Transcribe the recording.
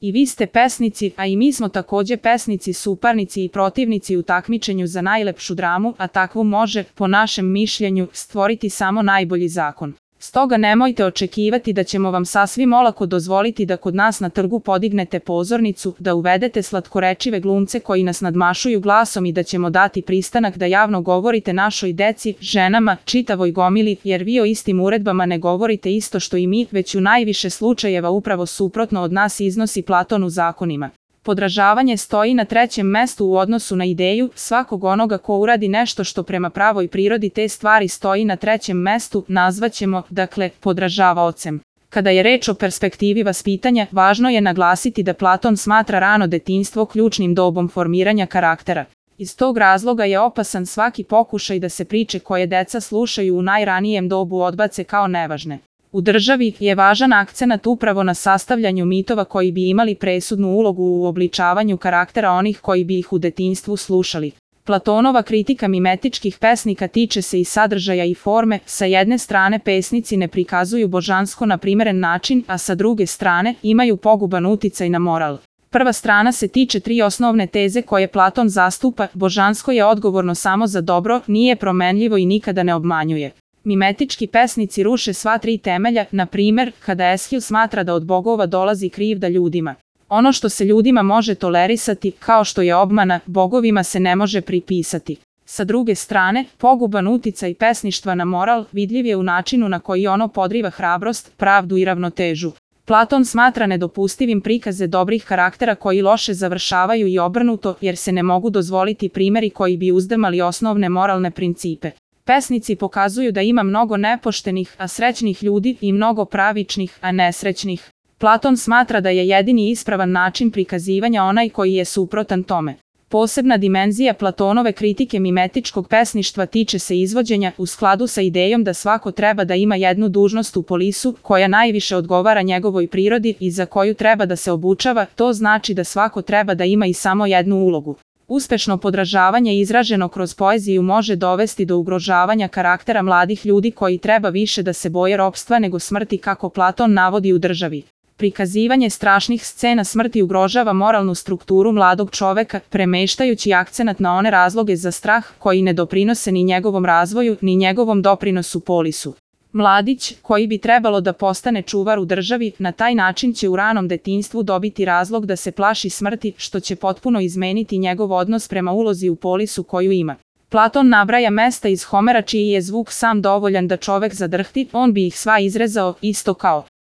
I vi ste pesnici, a i mi smo takođe pesnici, suparnici i protivnici u takmičenju za najlepšu dramu, a takvu može, po našem mišljenju, stvoriti samo najbolji zakon. Stoga nemojte očekivati da ćemo vam sasvim olako dozvoliti da kod nas na trgu podignete pozornicu, da uvedete slatkorečive glumce koji nas nadmašuju glasom i da ćemo dati pristanak da javno govorite našoj deci, ženama, čitavoj gomili, jer vi o istim uredbama ne govorite isto što i mi, već u najviše slučajeva upravo suprotno od nas iznosi Platon u zakonima. Podražavanje stoji na trećem mestu u odnosu na ideju, svakog onoga ko uradi nešto što prema pravoj prirodi te stvari stoji na trećem mestu, nazvaćemo, dakle, podražavaocem. Kada je reč o perspektivi vaspitanja, važno je naglasiti da Platon smatra rano detinjstvo ključnim dobom formiranja karaktera. Iz tog razloga je opasan svaki pokušaj da se priče koje deca slušaju u najranijem dobu odbace kao nevažne. U državi je važan akcenat upravo na sastavljanju mitova koji bi imali presudnu ulogu u obličavanju karaktera onih koji bi ih u detinjstvu slušali. Platonova kritika mimetičkih pesnika tiče se i sadržaja i forme, sa jedne strane pesnici ne prikazuju božansko na primeren način, a sa druge strane imaju poguban uticaj na moral. Prva strana se tiče tri osnovne teze koje Platon zastupa: božansko je odgovorno samo za dobro, nije promenljivo i nikada ne obmanjuje. Mimetički pesnici ruše sva tri temelja, na primer, kada Eshil smatra da od bogova dolazi krivda ljudima. Ono što se ljudima može tolerisati, kao što je obmana, bogovima se ne može pripisati. Sa druge strane, poguban uticaj pesništva na moral vidljiv je u načinu na koji ono podriva hrabrost, pravdu i ravnotežu. Platon smatra nedopustivim prikaze dobrih karaktera koji loše završavaju i obrnuto, jer se ne mogu dozvoliti primeri koji bi uzdrmali osnovne moralne principe. Pesnici pokazuju da ima mnogo nepoštenih, a srećnih ljudi i mnogo pravičnih, a nesrećnih. Platon smatra da je jedini ispravan način prikazivanja onaj koji je suprotan tome. Posebna dimenzija Platonove kritike mimetičkog pesništva tiče se izvođenja u skladu sa idejom da svako treba da ima jednu dužnost u polisu koja najviše odgovara njegovoj prirodi i za koju treba da se obučava, to znači da svako treba da ima i samo jednu ulogu. Uspešno podražavanje izraženo kroz poeziju može dovesti do ugrožavanja karaktera mladih ljudi koji treba više da se boje ropstva nego smrti, kako Platon navodi u Državi. Prikazivanje strašnih scena smrti ugrožava moralnu strukturu mladog čoveka, premeštajući akcenat na one razloge za strah koji ne doprinose ni njegovom razvoju, ni njegovom doprinosu polisu. Mladić, koji bi trebalo da postane čuvar u državi, na taj način će u ranom detinjstvu dobiti razlog da se plaši smrti, što će potpuno izmeniti njegov odnos prema ulozi u polisu koju ima. Platon nabraja mesta iz Homera čiji je zvuk sam dovoljan da čovek zadrhti, on bi ih sva izrezao, isto kao